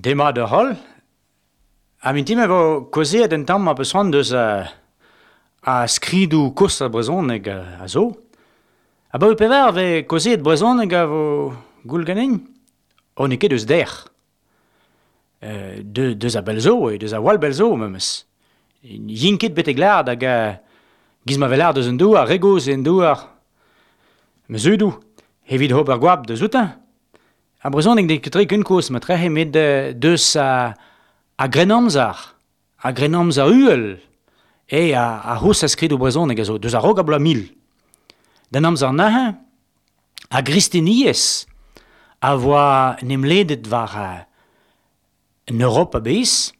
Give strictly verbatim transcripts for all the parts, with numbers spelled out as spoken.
Demat deoc'h holl. Ha mintin ma vo kaozeet un tamm ma peus c'hoant deus uh, a skridoù kozh ar brezhoneg a zo. Abaoe pevar vez kaozeet brezhoneg a vo goul ganin. O n'eo ket eus dec'h. Euh, de, deus a bell zo, e deus a wall bell zo memes. Yin ket betek lâret hag uh, giz ma vel lâret deus an douar, re gozh eo an douar. Ma zudoù, evit ober goap deus outañ. Ar brezhoneg n'eo ket tre ken kozh ma trec'he met deus a, a grennamzer, a grennamzer uhel, e a, a c'houzh a skridoù brezhoneg a zo, deus a-raok a bloaz mil. D'an amzer neuze, a gristeniezh a voa en em ledet war en Europa a-bezh,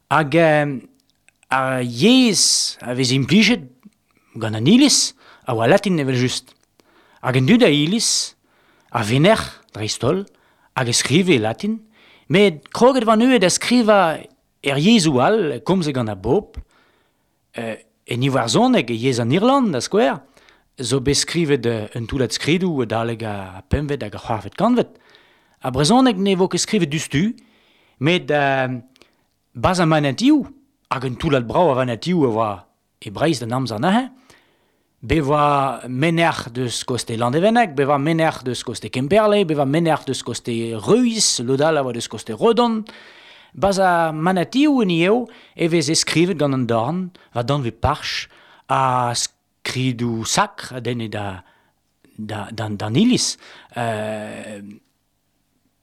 hag ar yezh a vez implijet gant an iliz a oa latin evel-just. Hag an dud a iliz, a venec'h dreist-holl, hag e skrive e latin, met kroget war neuze da skrivañ er yezhoù all, komzet gant ar bobl, euh, en iwerzhoneg e yezh an Irland, da skouer, zo bet skrivet un toullad skridoù adalek ar pempvet hag ar c'hwec'hvet kantved. Ar brezhoneg ne vo ket skrivet diouzhtu, met euh, barzh ar manatioù, hag un toullad brav a vanatioù a oa e Breizh d'an amzer neuze, bet oa menec'h deus koste Landevenneg, bet oa menec'h deus koste Kemperle, bet oa menec'h deus koste Reuis, lod all a oa deus koste Redon. Barzh ar manatioù en eo e veze skrivet gant an dorn, war danvez parch, ha skridoù sakr a denne da, da, d'an, d'an iliz. Euh,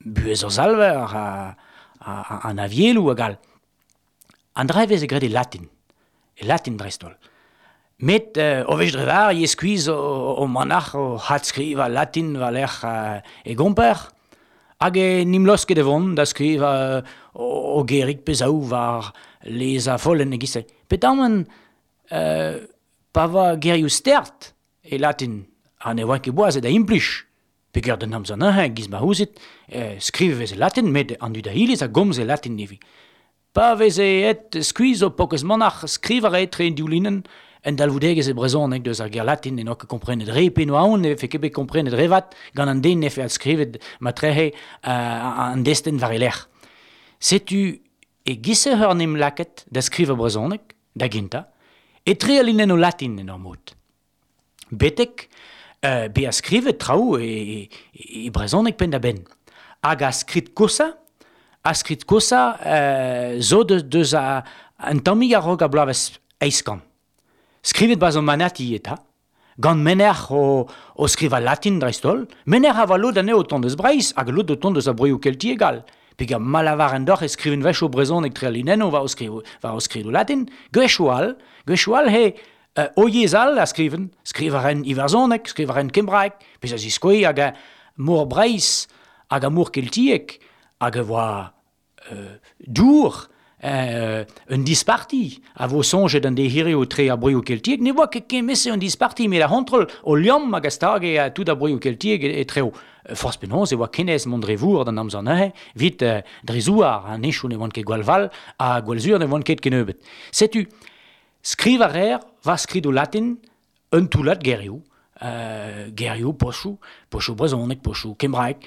buhez ar Salver, a, a, an avieloù hag all. An dra e veze graet e latin, e latin dreist-holl. Met euh, o wech dre var, e skuizh o, o manac'h o adskrivañ latin war-lerc'h euh, e gomper, hag e n'im laosket e vont da skrivañ o, o gerig pe zaou war lez a follenn e-giz-se. Petamant, euh, pa oa gerioù stert e latin, ha ne oa ket boazet da implij, peogwir d'an amzer neuze, giz ma ouzit, euh, skrivet e veze latin, met an dud a iliz a gomze latin ivez. Pa veze aet skuizh o paourkaezh manac'h skrivañ a rae etre an div linenn un dalvoudegezh e brezhoneg deus ar ger latin en oa ket komprenet re pe noa aon ne vefe ket bet komprenet re vat gant an den nefe adskrivet ma trec'he uh, an destenn war e lerc'h. Setu e giz-se eur n'em lakaet da skrivañ brezhoneg, da gentañ, etre al linennoù latin en ur mod. Betek euh, bezañ skrivet traoù e, e, e brezhoneg penn-da-benn. Hag a skrid kozhañ, a skrid kozhañ euh, zo deus, deus a, un tammig a-raok ar bloavezh eizh kant. Skrivet barzh an manati eta, gant menec'h o, o skrivañ latin dreist-holl, menec'h a oa lod anezho o tont eus Breizh hag lod o tont eus ar broioù keltiek all. Peogwir ma lavaren deoc'h e skriven wechoù brezhoneg tre al linennoù war o skriv, war o skridoù latin, gwechoù all, gwechoù all he euh, o yezh all a skriven, skrivañ a raent iwerzhoneg, skrivañ a raent kembraeg, pezh a ziskouez hag a mor Breizh hag a mor keltiek hag a oa euh, dour, euh, un disparti a vo soñjet an deiz hiriv etre ar broioù keltiek, ne oa ket kement-se un disparti, met ar c'hontrol o liamm hag a stage a tout ar broioù keltiek etreo. Forzh penaos e oa ken aes mont dre vor d'an amzer neuze, 'vit euh, dre zouar, an henchoù ne oant ket gwall fall, ha gwall sur ne oant ket kennebeut. Setu, skrivañ a reer war skridoù latin un toullad gerioù, euh, gerioù, pochoù, pochoù brezhoneg, pochoù kembraeg,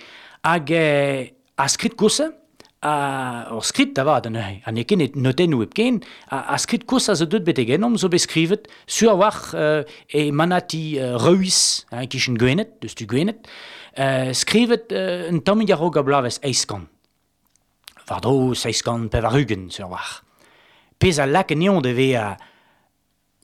hag euh, a skrid kozhañ, a ur skrid da vat neuze, ha n'eo ket notennoù hepken, a, a skrid kozhañ zo deuet betek ennomp zo bet skrivet sur a-walc'h euh, e manati euh, Reuis, hein, kichen Gwened, deus tu Gwened, euh, skrivet euh, un tammig a-raok ar bloavezh eizh kant. War-dro seizh kant pevar-ugent sur a-walc'h. Pezh a lak anezhañ da vezañ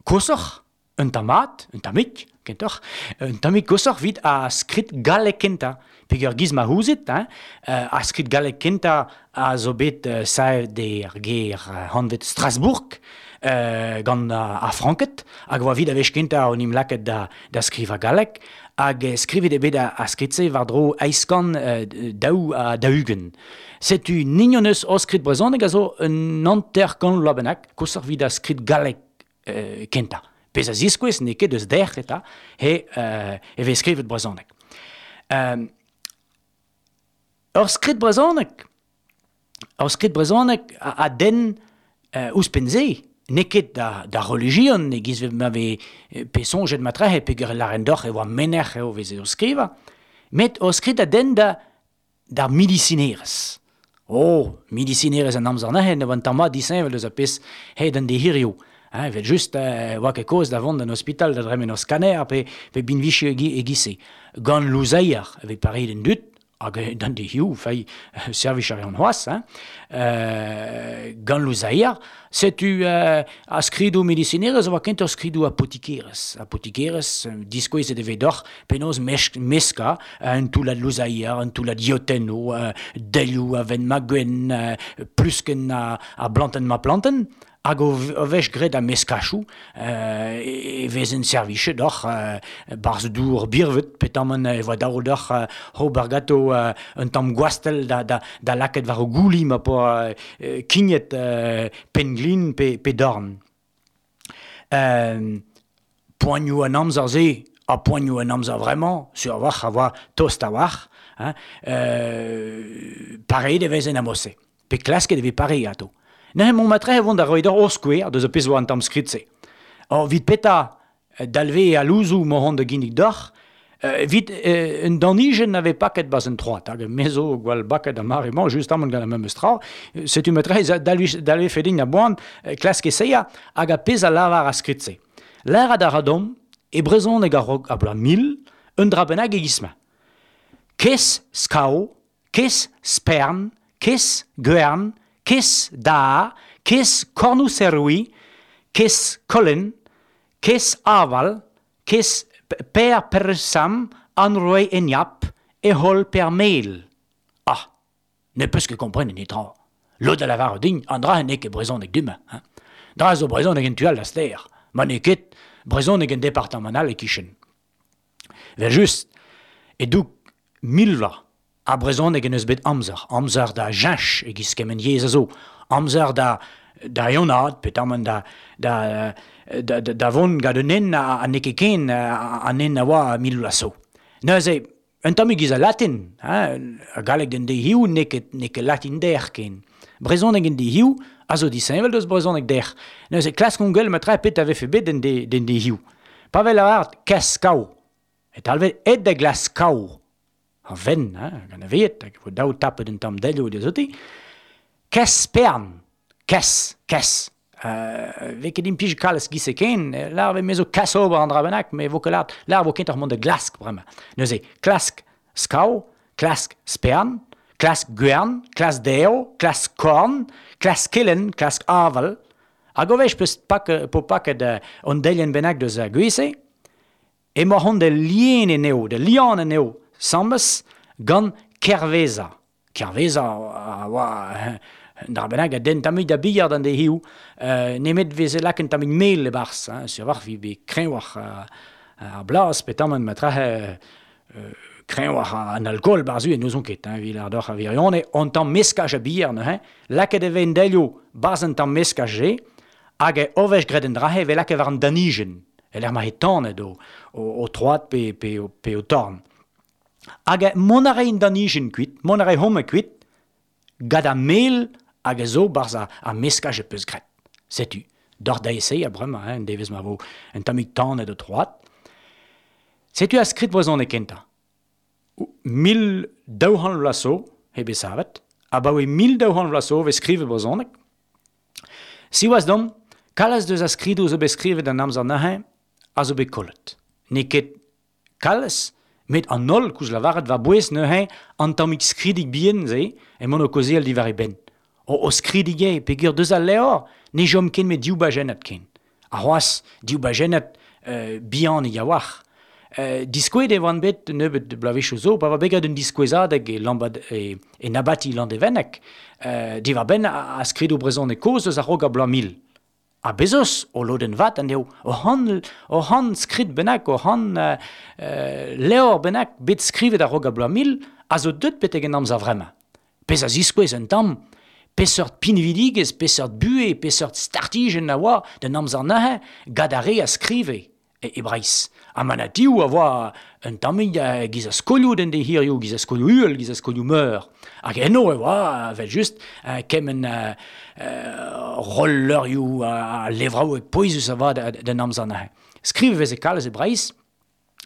koshoc'h, un tamm mat, un tammig, kentoc'h, un tammig koshoc'h 'vit ar skrid gallek kentañ. Peogwir giz ma ouzit, hein, euh, ar skrid gallek kentañ a zo bet euh, savet er gêr euh, anvet Strasbourg, euh, gant ar Franked, hag oa 'vit ar wech kentañ on em lakaet da, da skrivañ galleg, hag skrivet eo bet ar skrid-se war-dro eizh kant euh, daou ha daou-ugent. Setu nin hon eus hor skrid brezhoneg a zo un hanter kant vloaz bennak, koshoc'h 'vit ar skrid gallek euh, kentañ. Pezh a ziskouez n'eo ket eus dec'h eta, he, euh, e vez skrivet brezhoneg. Euh, ur skrid brezhoneg, ur skrid brezhoneg a, a denn euh, ouzhpenn-se, n'eo ket da, da relijion, e-giz ma vez pe soñjet matrehe, peogwir e lâren deoc'h e oa menec'h eo veze o skrivañ, met ur skrid a denn da, d'ar medisinerezh. Oh, medisinerezh an amzer neuze, ne oant tamm mat disheñvel eus ar pezh aet an dezhirio. Hein, evel just, euh, oa ket kaoz da vont d'an ospital da dremen ur scanner pe, pe binviji e-giz-se. Gant louzeier, e vez pareet an dud, hag d'an dezhiou, fei, servij a reont c'hoazh, hein. Euh, gant louzeier, setu euh, ar skridoù medisinerezh a oa kentoc'h skridoù apotikerezh. Apotikerezh, diskouezet e vez deoc'h penaos mesk, meskañ un toullad louzeier, un toullad yotennoù, euh, delioù aven-ma-gwenn, euh, pluskenn a, a blantenn-ma-plantenn, hag o, o vech graet a meskachoù, euh, e vezen servichet deoc'h euh, barzh dour birvet, petamant e voa dav deoc'h euh, ober ganto euh, un tamm gwastell da, da, da lakaat war o gouli ma po euh, kignet euh, penn-glin pe, pe dorn. Euh, poanioù an amzer-se, ha poanioù an amzer vraiment, sur a-walc'h a oa tost a-walc'h, hein, euh, pareet e vezen a-mod-se. Pe klasket e vez pareet ato. Neuze mont matre e vont da roiñ deoc'h ur skouer deus ar pezh oa an tamm skrid-se. Or, evit petra dalve al louzoù ma hon da ginnig deoc'h, evit euh, un danijenn a vez paket barzh un troad, hag me zo gwall baket ar mare-mañ, justamant gant ar memes tra, setu matre dalve, dalvefe din a-boan klask esaeañ hag ar pezh a lavar ar skrid-se. Lâret a ra deomp, e brezhoneg a-raok ar bloaz mil, un dra bennak e-giz-mañ. Kes skao, kes spern, kes gwern, kes da, kes kornoù-serroui, kes kolen, kes aval, kes per persam, anroe enyap, ehol per mel. Ah, ne peus ket komprenet netra. Lod a lavar din, an dra n'eo ket brezhoneg du-mañ. Hein. Dra zo brezhoneg en tu all da stêr. Ma n'eo ket brezhoneg en departamant all e-kichen. Vel just, e-doug mil vloaz, ar brezhoneg en eus bet amzer. Amzer da cheñch e-giz kement yezh a zo. Amzer da da eeunaat, petamant da, da, da, da, da vont gant un hent a, a n'eo ket ken an hent a oa mil vloaz zo. Neuze, un tammig giz a latin, hein, ar galleg d'an dezhiou n'eo ket, n'eo ket latin dec'h ken. Brezhoneg en dezhiou a zo disheñvel deus brezhoneg dec'h. Neuze, klaskomp gwell matre pet a vefe bet d'an de, d'an dezhiou. Pa vez lavaret kas kaou, e talvez aet da glask kaou. Ar venn, hein, gant a vet, hag e vo daou tapet un tamm delioù dezoti. Kes spern, kes, kes. Euh, vez ket implij kalz giz-se ken, lar vez me zo kas ober an dra bennak, me vo ket lâret, lar vo kentoc'h mont da glask bremañ. Neuze, klask skaou, klask spern, klask gwern, klask derv, klask korn, klask kelenn, klask aval. Hag o wech peus pak, po paket uh, an delienn bennak deus ar gwez-se, emañ hon da lien anezho, da lian anezho, sambes gant Kerveza. Kerveza a oa un dra bennak a den tammig da bilhard an dezhiou, euh, nemet veze lakaet un tammig mel e-barzh, hein, sur war vi bet kreñvoc'h ar blaz, petamant ma trahe euh, kreñvoc'h an alkool barzh en n'ouzon ket, hein, evit lâret deoc'h ar wirionez, an tamm meskaj a bier neuze, lakaet e vez en delioù barzh an tamm meskaj-se, hag e o vech graet an dra-se e vez lakaet war an danijenn, e lec'h ma eo tanet o, o, o troad pe, pe, pe o torn. Hag mont a rae an danijenn kuit, mont a rae homañ kuit, gant ar mel hag a zo barzh ar, ar meskaj e peus graet. Setu, deoc'h da esaeañ bremañ, hein, devezh ma vo un tammig tanet o troad. Setu ar skrid brezhoneg kentañ. Mil daou c'hant vloaz zo, eo bet savet, abaoe mil daou c'hant vloaz zo vez skrivet brezhoneg. Siwazh deomp, kalz deus ar skridoù zo bet skrivet an amzer neuze a zo bet kollet. N'eo ket kalz, met an holl koulz lavaret war-bouez neuze an tammig skridig bihan-se emaon o kaozeal diwar e benn. O, o skridig eo, peogwir deus al levr, ne chom ken met div bajennad ken. Ha c'hoazh, div bajennad euh, bihanik a-walc'h. Euh, diskouezet e oant bet nebeut bloavezhioù zo, pa oa bet graet un diskouezadeg e, Lambad, e, e Nabati Landevenneg, euh, diwar-benn a, a skridoù brezhoneg kozh eus a-raok ar bloaz mil. Ha bez eus o lodenn vat anezho, o c'hant, o c'hant skrid bennak, o c'hant euh, euh, levr bennak bet skrivet a-raok ar bloaz mil, a zo deut betek en amzer vremañ. Pezh a ziskouez un tamm, peseurt pinvidigezh, peseurt buhez, peseurt startijenn a oa d'an amzer neuze, gant ar re a skrive e, e Breizh. Ha manatioù a oa un tammig uh, giz a skolioù d'an dezhirioù, giz a skolioù uhel, giz a skolioù meur. Hag eno e oa, evel just, uh, kement uh, uh, roll-leurioù a, a levraoueg pouezus a oa d'an amzer neuze. Skrivet e veze kalz e Breizh,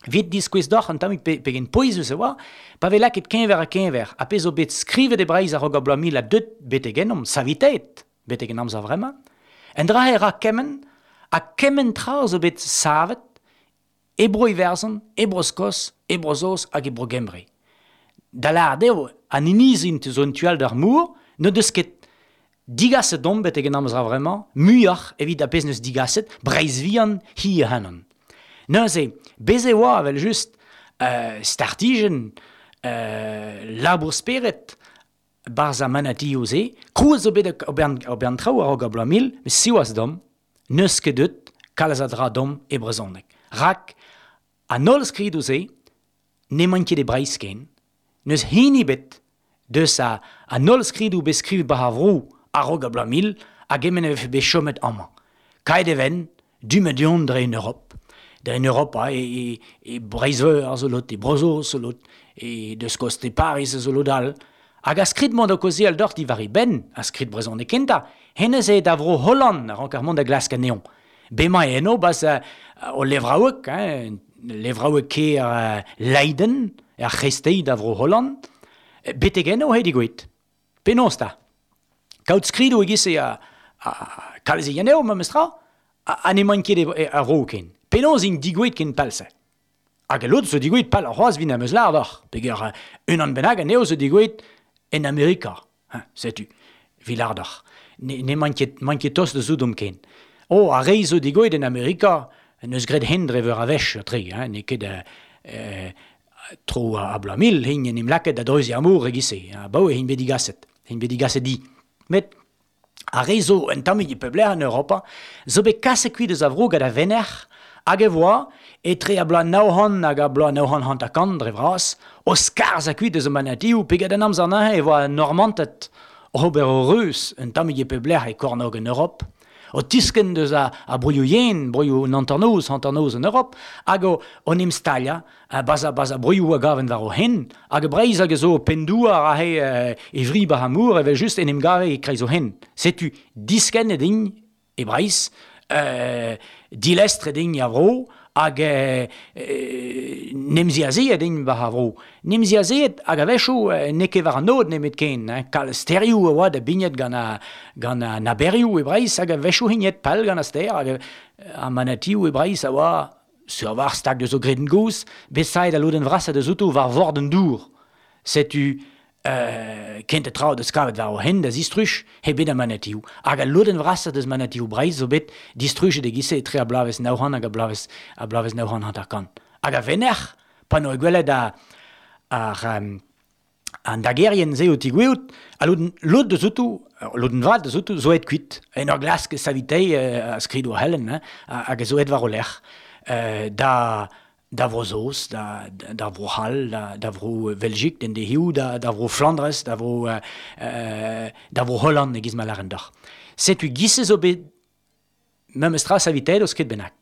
Vit diskouez doc'h an tammig pe, pegen pouezus e oa, pa vez lakaet keñver ha keñver, ha pezh zo bet skrivet e Breizh a-raok ar bloaz mil ha deut betek ennomp, savitet betek en amzer vremañ, en dra e ra kement, ha kement tra zo bet savet e Bro-Iwerzhon, e Bro-Skos, e Bro-Saoz hag e Bro-Gembre. Da lâret eo, an inizi zo en tu all d'ar mor, n'o deus ket digaset domp betek en amzer vremañ, muioc'h evit ar pezh n'eus digaset, Breizh vihan hi ac'hanon. Neuze, bez e oa, evel just, euh, startijenn, euh, labour spered, barzh ar manatioù-se, krouet zo bet ober an traoù a-raok ar bloaz mil, met siwazh domp, n'eus ket deut kalz a dra domp e brezhoneg. Rak, an holl skridoù-se n'emaint ket e Breizh ken, n'eus hini bet deus a, an holl skridoù bet skrivet war ar vro a-raok ar bloaz mil hag gement e vefe bet chomet amañ. Kaet e ven, du-mañ du-hont dre en Europ. Dre en Europa, e, e, e Breizh-Veur a zo lot, e Bro-Saoz zo lot, e deus koste Paris a zo lot all. Hag a skrid mont o kaozeal deoc'h diwar e benn, a skrid brezhoneg kentañ, hennezh eo da vro Holland a rank ar mont da glask anezhañ. Bemañ eno, bas uh, o levraoueg, hein, levraoueg kêr uh, Leiden, er c'hreisteiz da vro Holland, betek eno he digouet. Penaos ta? Kaout skridoù e-giz-se a, a, a kalz e eo, memes tra, ha n'emaint ket a vro ken. Penaos int digouet ken pell-se? Hag al lod zo digouet pell ar c'hoazh vin am eus lâret deoc'h, peger unan bennak anezho zo digouet en Amerika. Hein, setu, vi lâret deoc'h. N'emaint ket, maint ket tost da zoudomp ken. Oh, ar re zo digouet en Amerika, n'eus graet hen dre veur a wech, tre, hein, n'eo ket euh, tro a, a bloaz mil, hein, en em lakaet da dreuziñ ar mor e-giz-se, abaoe hein bet digaset, hein bet digaset di. Met ar re zo un tammig e pep lec'h en Europa, zo bet kaset kuit eus a vro gant a venec'h, hag e voa, etre a bloaz nav c'hant hag a bloaz nav c'hant hanter-kant dre vras, o skarzhañ kuit eus o manatioù, pe gant an amzer neuze e voa Normanted ober o reuz un tammig e pep lec'h e kornôg en Europ, o tiskenn deus a, a broioù yen, broioù an hanternoz, hanternoz en Europ, hag o, o 'n em staliañ, bas a, bas a broioù a gaven war o hen, hag e Breizh hag a zo penn-douar aze e, e vri bar ar mor, evel just en em gave e kreiz o hen. Setu diskennet int e Breizh, euh, dilestret int a vro, hag euh, euh, nemziazeet int war ar vro. Nemziazeet hag a-wechoù euh, n'eo ket war an aod nemet ken, hein, kalz stêrioù a oa da bignet gant a, gant an aberioù e Breizh, hag a-wechoù hignet pell gant ar stêr, hag ar manatioù e Breizh a oa sur war stag deus o gredenn gozh, bet saet al lodenn vrasañ deus outo war vord an dour. Setu euh, kentañ tra deus kavet war o hent da zistruj he bet ar manatioù. Hag al lodenn vrasañ deus manatioù Breizh zo bet distrujet e-giz-se etre ar bloavezh nav c'hant hag ar bloavezh, ar bloavezh nav c'hant hanter-kant. Hag a venec'h, pa n'oa gwelet a, ar, um, an dagerien-se o tigoueout, a lodenn, lod deus outo, lodenn vat deus outo, zo aet kuit. En ur glask savitei euh, a skridoù a c'hellen, hein, hag a zo aet war o lerc'h. Euh, da, da Vro-Saoz, da, da Vro-C'hall, da, da Vro Veljik, den dehiou, da, da Vro Flandrez, da Vro, euh, da Vro Holland e-giz ma lâren deoc'h. Setu giz-se zo bet memes tra savitet o skrid bennak.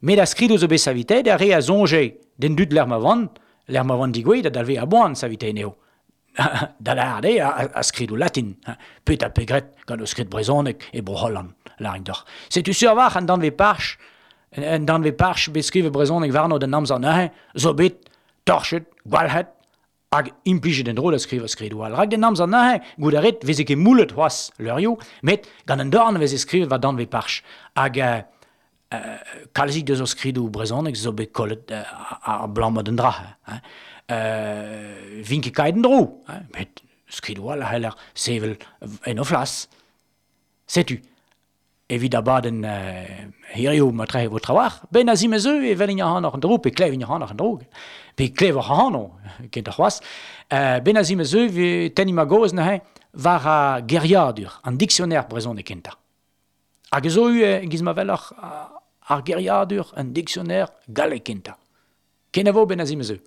Met ar skridoù zo bet savitet, ar re a soñje d'en dud lec'h ma vant, lec'h ma vant digouet, da dalve a boan savitet anezho. Da lâret eo a, a skridoù latin, hein, pet ha pegret gant o skrid brezhoneg e Bro-Holland, lârin deoc'h. Setu sur war an danvez parch, en danvez parch bet skrivet brezhoneg warno d'an amzer neuze, zo bet torchet, gwalc'het, hag implijet en-dro da skrivañ skridoù all. Rak d'an amzer neuze, goût a rit, veze ket moullet c'hoazh leurioù, met gant an dorn veze skrivet war danvez parch. Hag euh, euh, kalzik deus o skridoù brezhoneg zo bet kollet euh, ar abalamour d'an dra. Hein. Euh, vin ket kaet en-dro, hein, met skridoù all a c'heller sevel en o flas. Setu, evit abadenn euh, hirio ma tre vo trawalc'h, ben a zimezeu e vel ac'hanoc'h an dro, pe klev ac'hanoc'h an dro, pe klev ac'hano, kent ar c'hoazh, euh, ben a zimezeu ve tenniñ ma gaoz neuze war ar geriadur, an dictionnaire brezhoneg kentañ. Hag zo eu, giz ma weloc'h, ar geriadur, an dictionnaire gallek kentañ. Kenavo ben a zimezeu.